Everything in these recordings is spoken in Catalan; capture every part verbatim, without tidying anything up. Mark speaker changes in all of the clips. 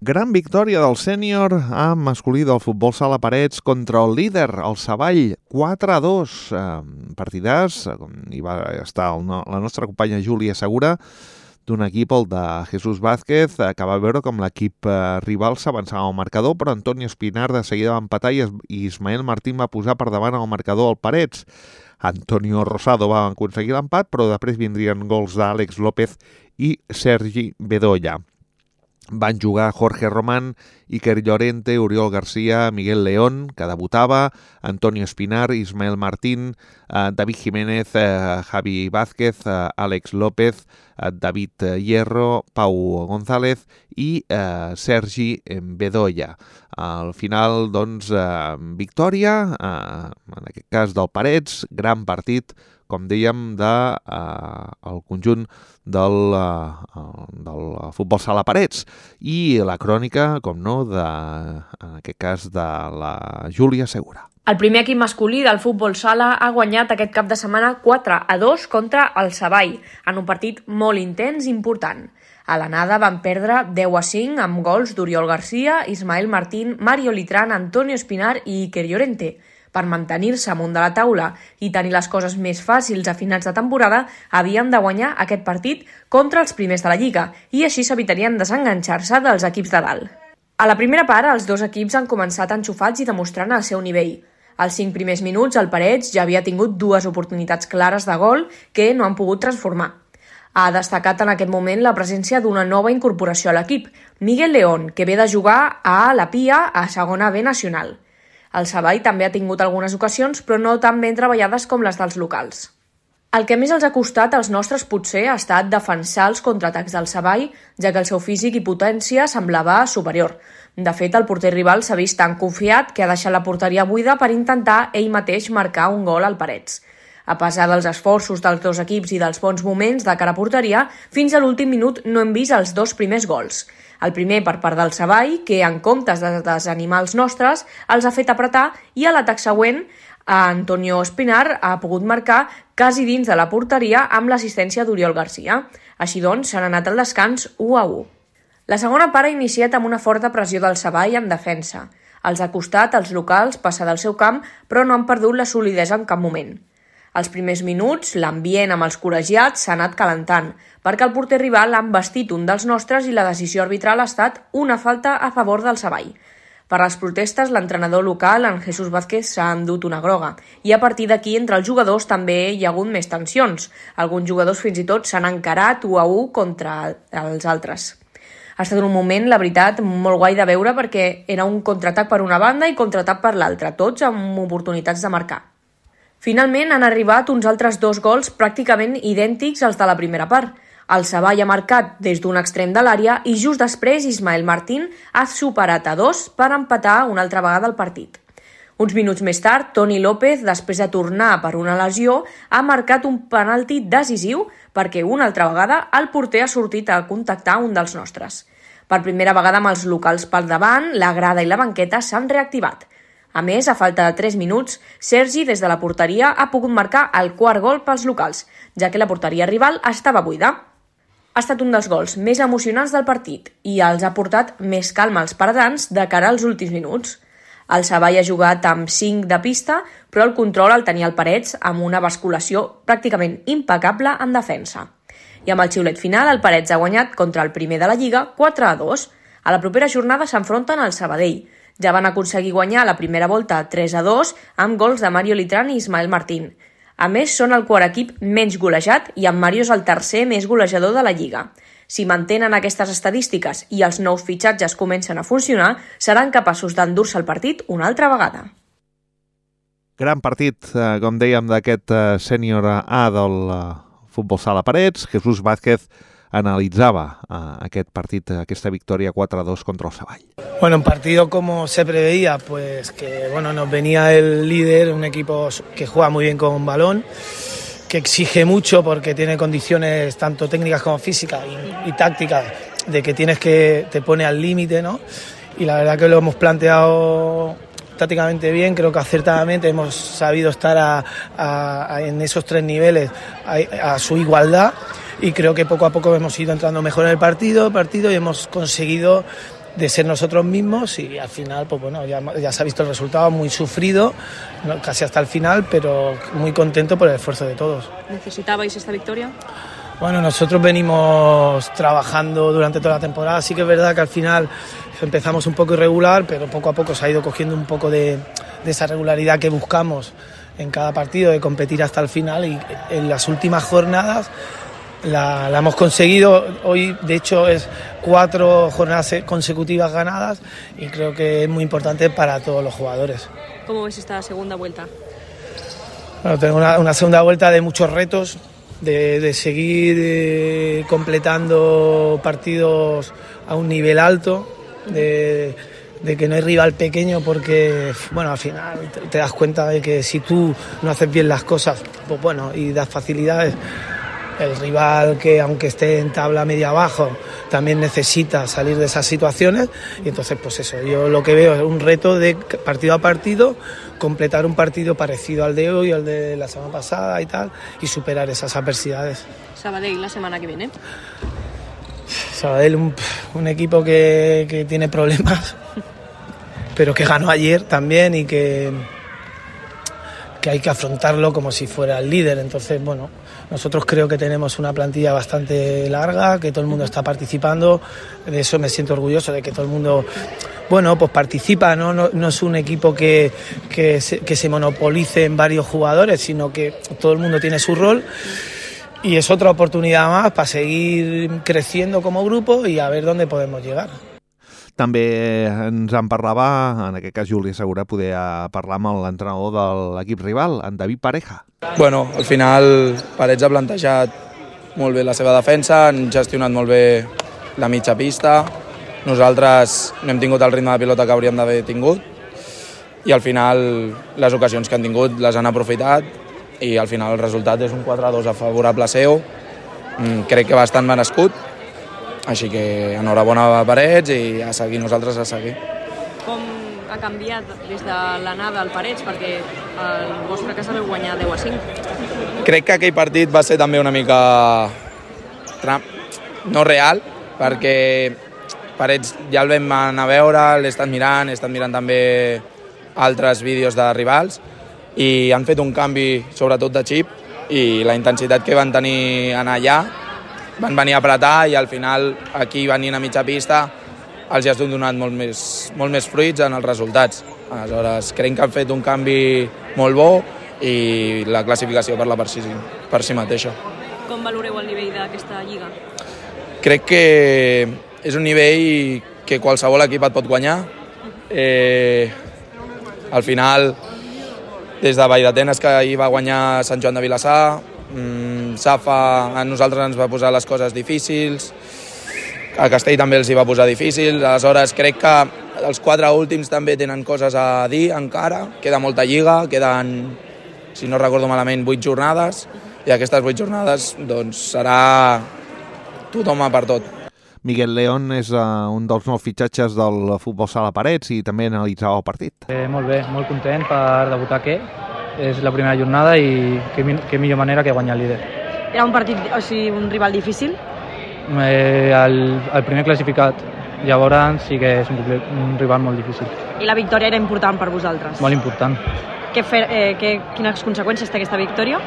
Speaker 1: Gran victòria del sènior A masculí del futbol sala Parets contra el líder, el Savall, quatre a dos. Eh, partidàs, hi va estar el, la nostra companya Júlia Segura, d'un equip, el de Jesús Vázquez, que va veure com l'equip eh, rival s'avançava al marcador, però Antonio Espinar de seguida va empatar i Ismael Martín va posar per davant el marcador al Parets. Antonio Rosado va aconseguir l'empat, però després vindrien gols d'Àlex López i Sergi Bedoya. Van jugar Jorge Román, Iker Llorente, Oriol García, Miguel León, que debutava, Antonio Espinar, Ismael Martín, eh, David Jiménez, eh, Javi Vázquez, eh, Àlex López, eh, David Hierro, Pau González i eh, Sergi Bedoya. Al final, doncs, eh, victòria, eh, en aquest cas del Parets, gran partit, com dèiem, del de, uh, conjunt del, uh, del futbol sala Parets. I la crònica, com no, de, en aquest cas de la Júlia Segura.
Speaker 2: El primer equip masculí del futbol sala ha guanyat aquest cap de setmana quatre a dos contra el Savall, en un partit molt intens i important. A l'anada van perdre deu a cinc amb gols d'Oriol García, Ismael Martín, Mario Litrán, Antonio Espinar i Iker Llorente. Per mantenir-se amunt de la taula i tenir les coses més fàcils a finals de temporada, havien de guanyar aquest partit contra els primers de la Lliga i així s'evitarien desenganxar-se dels equips de dalt. A la primera part, els dos equips han començat enxufats i demostrant el seu nivell. Als cinc primers minuts, el Parets ja havia tingut dues oportunitats clares de gol que no han pogut transformar. Ha destacat en aquest moment la presència d'una nova incorporació a l'equip, Miguel León, que ve de jugar a la Pia a segona B nacional. El Savall també ha tingut algunes ocasions, però no tan ben treballades com les dels locals. El que més els ha costat als nostres potser ha estat defensar els contraatacs del Savall, ja que el seu físic i potència semblava superior. De fet, el porter rival s'ha vist tan confiat que ha deixat la porteria buida per intentar ell mateix marcar un gol al Parets. A pesar dels esforços dels dos equips i dels bons moments de cara a porteria, fins a l'últim minut no hem vist els dos primers gols. El primer per part del Savall, que en comptes de desanimar els nostres, els ha fet apretar, i a l'atac següent, Antonio Espinar ha pogut marcar quasi dins de la porteria amb l'assistència d'Oriol García. Així doncs, s'han anat al descans u a u. La segona part ha iniciat amb una forta pressió del Savall en defensa. Els ha costat als locals passar del seu camp, però no han perdut la solidesa en cap moment. Als primers minuts, l'ambient amb els col·legiats s'ha anat calentant, perquè el porter rival ha embestit un dels nostres i la decisió arbitral ha estat una falta a favor del Savall. Per les protestes, l'entrenador local, en Jesús Vázquez, s'ha endut una groga, i a partir d'aquí entre els jugadors també hi ha hagut més tensions. Alguns jugadors fins i tot s'han encarat u a u contra els altres. Ha estat un moment, la veritat, molt guai de veure perquè era un contraatac per una banda i contraatac per l'altra, tots amb oportunitats de marcar. Finalment han arribat uns altres dos gols pràcticament idèntics als de la primera part. El Savall ha marcat des d'un extrem de l'àrea i just després Ismael Martín ha superat a dos per empatar una altra vegada el partit. Uns minuts més tard, Toni López, després de tornar per una lesió, ha marcat un penalti decisiu perquè una altra vegada el porter ha sortit a contactar un dels nostres. Per primera vegada amb els locals pel davant, la grada i la banqueta s'han reactivat. A més, a falta de tres minuts, Sergi, des de la porteria, ha pogut marcar el quart gol pels locals, ja que la porteria rival estava buida. Ha estat un dels gols més emocionants del partit i els ha portat més calma als paredans de cara als últims minuts. El Savall ha jugat amb cinc de pista, però el control el tenia el Parets amb una basculació pràcticament impecable en defensa. I amb el xiulet final, el Parets ha guanyat contra el primer de la Lliga quatre a dos. A la propera jornada s'enfronten al Sabadell. Ja van aconseguir guanyar la primera volta tres a dos amb gols de Mario Litrán i Ismael Martín. A més, són el quart equip menys golejat i en Mario és el tercer més golejador de la Lliga. Si mantenen aquestes estadístiques i els nous fitxatges comencen a funcionar, seran capaços d'endur-se el partit una altra vegada.
Speaker 1: Gran partit, com dèiem, d'aquest sènior A del futbol sala Parets. Jesús Vázquez analizaba uh, aquest partit, aquesta victòria quatre a dos contra el Savall.
Speaker 3: Bueno, un partido como se preveía, pues que bueno, nos venía el líder, un equipo que juega muy bien con balón, que exige mucho porque tiene condiciones tanto técnicas como físicas y, y tácticas, de que tienes que te pone al límite, ¿no? Y la verdad que lo hemos planteado tácticamente bien, creo que acertadamente hemos sabido estar a, a, a, en esos tres niveles a, a su igualdad. Y creo que poco a poco hemos ido entrando mejor en el partido, partido y hemos conseguido de ser nosotros mismos y al final, pues bueno, ya, ya se ha visto el resultado, muy sufrido, ¿no? Casi hasta el final, pero muy contento por el esfuerzo de todos.
Speaker 2: ¿Necesitabais esta victoria?
Speaker 3: Bueno, nosotros venimos trabajando durante toda la temporada, sí que es verdad que al final empezamos un poco irregular, pero poco a poco se ha ido cogiendo un poco de, de esa regularidad que buscamos en cada partido, de competir hasta el final, y en las últimas jornadas la, la hemos conseguido. Hoy de hecho es cuatro jornadas consecutivas ganadas y creo que es muy importante para todos los jugadores.
Speaker 2: ¿Cómo ves esta segunda vuelta?
Speaker 3: Bueno, tengo una, una segunda vuelta de muchos retos, de, de seguir eh, completando partidos a un nivel alto, de, de que no hay rival pequeño, porque bueno, al final te, te das cuenta de que si tú no haces bien las cosas, pues bueno, y das facilidades, el rival, que aunque esté en tabla media abajo, también necesita salir de esas situaciones. Y entonces pues eso, yo lo que veo es un reto de partido a partido, completar un partido parecido al de hoy, al de la semana pasada y tal, y superar esas adversidades.
Speaker 2: Sabadell la semana que viene.
Speaker 3: Sabadell, un, un equipo que, que tiene problemas, pero que ganó ayer también y que, que hay que afrontarlo como si fuera el líder. Entonces, bueno, nosotros creo que tenemos una plantilla bastante larga, que todo el mundo está participando, de eso me siento orgulloso, de que todo el mundo, bueno, pues participa, ¿no? No, no es un equipo que, que, se, que se monopolice en varios jugadores, sino que todo el mundo tiene su rol. I és otra oportunitat més per seguir creciendo como grupo i a ver dónde podemos llegar.
Speaker 1: També ens en parlava, en aquest cas Júlia Segura, poder parlar amb l'entrenador de l'equip rival, en David Pareja.
Speaker 4: Bueno, al final Parets ha plantejat molt bé la seva defensa, han gestionat molt bé la mitja pista, nosaltres no hem tingut el ritme de pilota que hauríem d'haver tingut i al final les ocasions que han tingut les han aprofitat i al final el resultat és un quatre a dos a favorable seu, crec que bastant merescut, així que enhorabona a Parets i a seguir, nosaltres a seguir.
Speaker 2: Com ha canviat des de l'anada al Parets, perquè el vostre cas vau guanyar deu a cinc?
Speaker 4: Crec que aquell partit va ser també una mica no real, perquè Parets ja el vam anar a veure, l'he estat mirant, he estat mirant també altres vídeos de rivals, i han fet un canvi sobretot de xip i la intensitat que van tenir anar allà, van venir a apretar i al final aquí venint a mitja pista els has donat molt més, molt més fruits en els resultats. Aleshores crec que han fet un canvi molt bo i la classificació parla per si, per si mateixa.
Speaker 2: Com valoreu el nivell d'aquesta lliga?
Speaker 4: Crec que és un nivell que qualsevol equip et pot guanyar. Eh, al final des de Valldatenes, que ahir va guanyar Sant Joan de Vilassar, mmm, Safa a nosaltres ens va posar les coses difícils, a Castell també els hi va posar difícils, aleshores crec que els quatre últims també tenen coses a dir encara, queda molta lliga, queden, si no recordo malament, vuit jornades, i aquestes vuit jornades doncs, serà tothom a per tot.
Speaker 1: Miguel León és uh, un dels nous fitxatges del futbol sala Parets i també analitzava el partit.
Speaker 5: Eh, molt bé, molt content per debutar aquí. És la primera jornada i que, que millor manera que guanyar el líder.
Speaker 2: Era un partit, o sigui, un rival difícil?
Speaker 5: Eh, el, el primer classificat. Llavors sí que és un, un rival molt difícil.
Speaker 2: I la victòria era important per vosaltres?
Speaker 5: Molt important.
Speaker 2: Què fer, eh, què, quines conseqüències té aquesta victòria?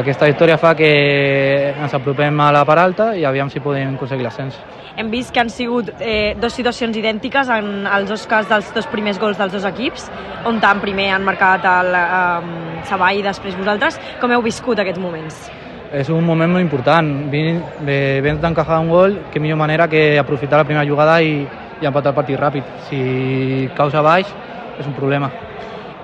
Speaker 5: Aquesta victòria fa que ens apropem a la part alta i aviam si podem aconseguir l'ascens.
Speaker 2: Hem vist que han sigut eh, dues situacions idèntiques en els dos cas dels dos primers gols dels dos equips, on tant primer han marcat el eh, Savall i després vosaltres. Com heu viscut aquests moments?
Speaker 5: És un moment molt important. Vens d'encajar un gol, que millor manera que aprofitar la primera jugada i, i empatar el partit ràpid. Si caus a baix, és un problema.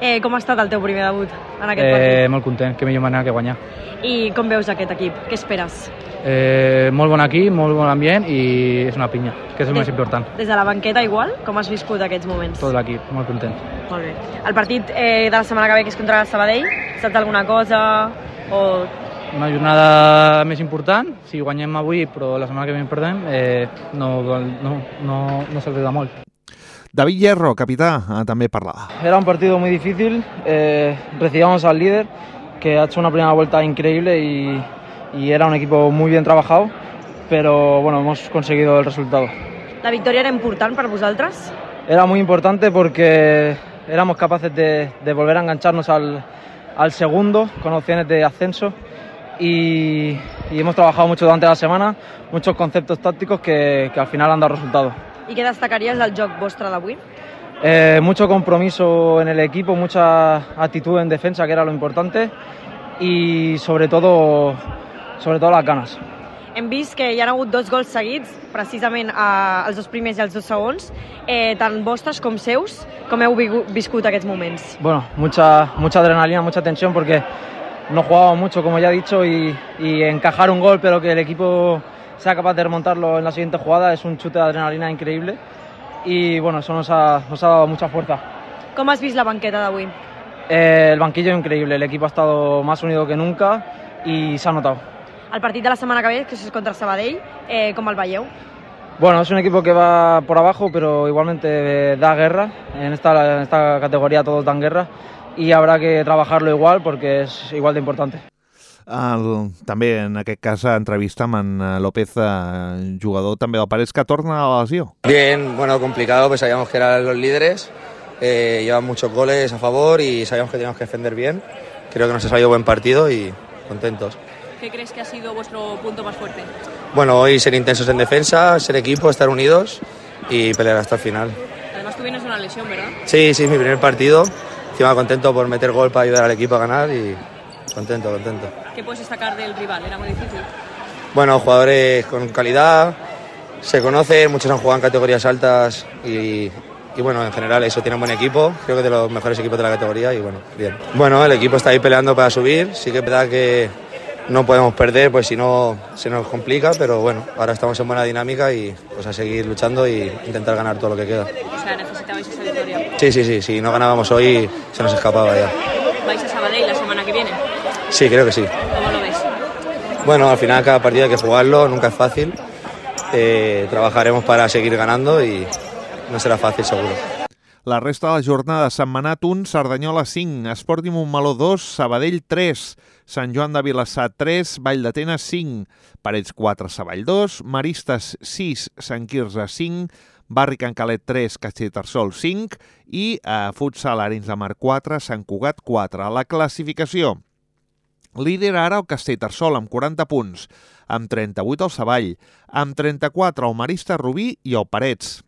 Speaker 2: Eh, com ha estat el teu primer debut en aquest
Speaker 5: eh,
Speaker 2: partit?
Speaker 5: Molt content, que millor manera que guanyar.
Speaker 2: I com veus aquest equip? Què esperes?
Speaker 5: Eh, molt bon equip, molt bon ambient i és una pinya, que és el
Speaker 2: des,
Speaker 5: més important.
Speaker 2: Des de la banqueta igual? Com has viscut aquests moments?
Speaker 5: Tot l'equip, molt content.
Speaker 2: Molt bé. El partit eh, de la setmana que ve, que és contra el Sabadell, saps alguna cosa? O...
Speaker 5: Una jornada més important, si guanyem avui però la setmana que ve perdem, eh, no, no, no, no s'agrada molt.
Speaker 1: David Hierro, capità, també parlava.
Speaker 6: Era un partido muy difícil, eh, recibíamos al líder que ha hecho una primera vuelta increíble y, y era un equipo muy bien trabajado, pero bueno, hemos conseguido el resultado.
Speaker 7: La victòria era important per vosaltres?
Speaker 6: Era muy importante porque éramos capaces de, de volver a engancharnos al, al segundo con opciones de ascenso y, y hemos trabajado mucho durante la semana, muchos conceptos tácticos que, que al final han dado resultados.
Speaker 7: I què destacaries del joc vostre d'avui?
Speaker 6: Eh, mucho compromiso en el equipo, mucha actitud en defensa, que era lo importante, y sobre todo, sobre todo las ganas.
Speaker 7: Hem vist que hi ha hagut dos gols seguits, precisament eh, els dos primers i els dos segons, eh, tant vostres com seus. Com heu viscut aquests moments?
Speaker 6: Bueno, mucha, mucha adrenalina, mucha tensión, porque no jugábamos mucho, como ya he dicho, y, y encajar un gol, pero que el equipo sea capaz de remontarlo en la siguiente jugada, es un chute de adrenalina increíble. Y bueno, eso nos ha, nos ha dado mucha fuerza.
Speaker 7: Com has vist la banqueta d'avui?
Speaker 6: Eh, el banquillo increíble, el equipo ha estado más unido que nunca y se ha notado.
Speaker 7: El partit de la setmana que ve, que és contra Sabadell, eh, com el veieu?
Speaker 6: Bueno, es un equipo que va por abajo, pero igualmente eh, da guerra. En esta, en esta categoría todos dan guerra y habrá que trabajarlo igual porque es igual de importante.
Speaker 1: El, també en aquest cas entrevista amb en López, eh, jugador també del Parets, que torna a la lesió.
Speaker 4: Bien, bueno, complicado, pues sabíamos que eran los líderes, eh, llevan muchos goles a favor y sabíamos que teníamos que defender bien. Creo que nos ha salido buen partido y contentos.
Speaker 8: ¿Qué crees que ha sido vuestro punto más fuerte?
Speaker 4: Bueno, hoy ser intensos en defensa, ser equipo, estar unidos y pelear hasta el final.
Speaker 8: Además tú vienes de una lesión, ¿verdad?
Speaker 4: Sí, sí, es mi primer partido. Encima contento por meter gol para ayudar al equipo a ganar y contento, contento.
Speaker 8: ¿Qué puedes destacar del rival? ¿Era muy difícil?
Speaker 4: Bueno, jugadores con calidad, se conocen, muchos han jugado en categorías altas y, y bueno, en general eso, tienen buen equipo, creo que de los mejores equipos de la categoría y bueno, bien. Bueno, el equipo está ahí peleando para subir, sí que es verdad que no podemos perder, pues si no se nos complica, pero bueno, ahora estamos en buena dinámica y pues a seguir luchando y intentar ganar todo lo que queda.
Speaker 8: O sea, necesitabais esa victoria.
Speaker 4: Sí, sí, sí, si no ganábamos hoy se nos escapaba ya.
Speaker 8: ¿Vais a Sabadell la semana que viene?
Speaker 4: Sí, creo que sí.
Speaker 8: ¿Cómo lo ves?
Speaker 4: Bueno, al final cada partido hay que jugarlo, nunca es fácil. Eh, trabajaremos para seguir ganando y no serà fàcil, seguro.
Speaker 1: La resta de la jornada: Sentmenat un, Cerdanyola cinc, Esportiu Montmeló dos, Sabadell tres, Sant Joan de Vilassar tres, Vall d'Atenes cinc, Parets quatre, Savall dos, Maristes sis, Sant Quirze cinc, Barri Can Calet tres, Castellterçol cinc i a Futsal Arenys de Mar quatre, Sant Cugat quatre. La classificació: líder ara el Castellterçol amb quaranta punts, amb trenta-vuit el Savall, amb trenta-quatre el Maristes Rubí i el Parets.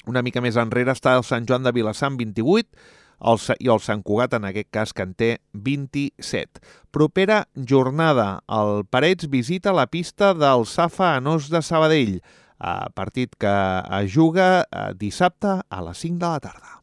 Speaker 1: Una mica més enrere està el Sant Joan de Vilassar amb vint-i-vuit el, i el Sant Cugat, en aquest cas, que en té vint-i-set. Propera jornada: el Parets visita la pista del Safa Anós de Sabadell, a partit que es juga dissabte a les cinc de la tarda.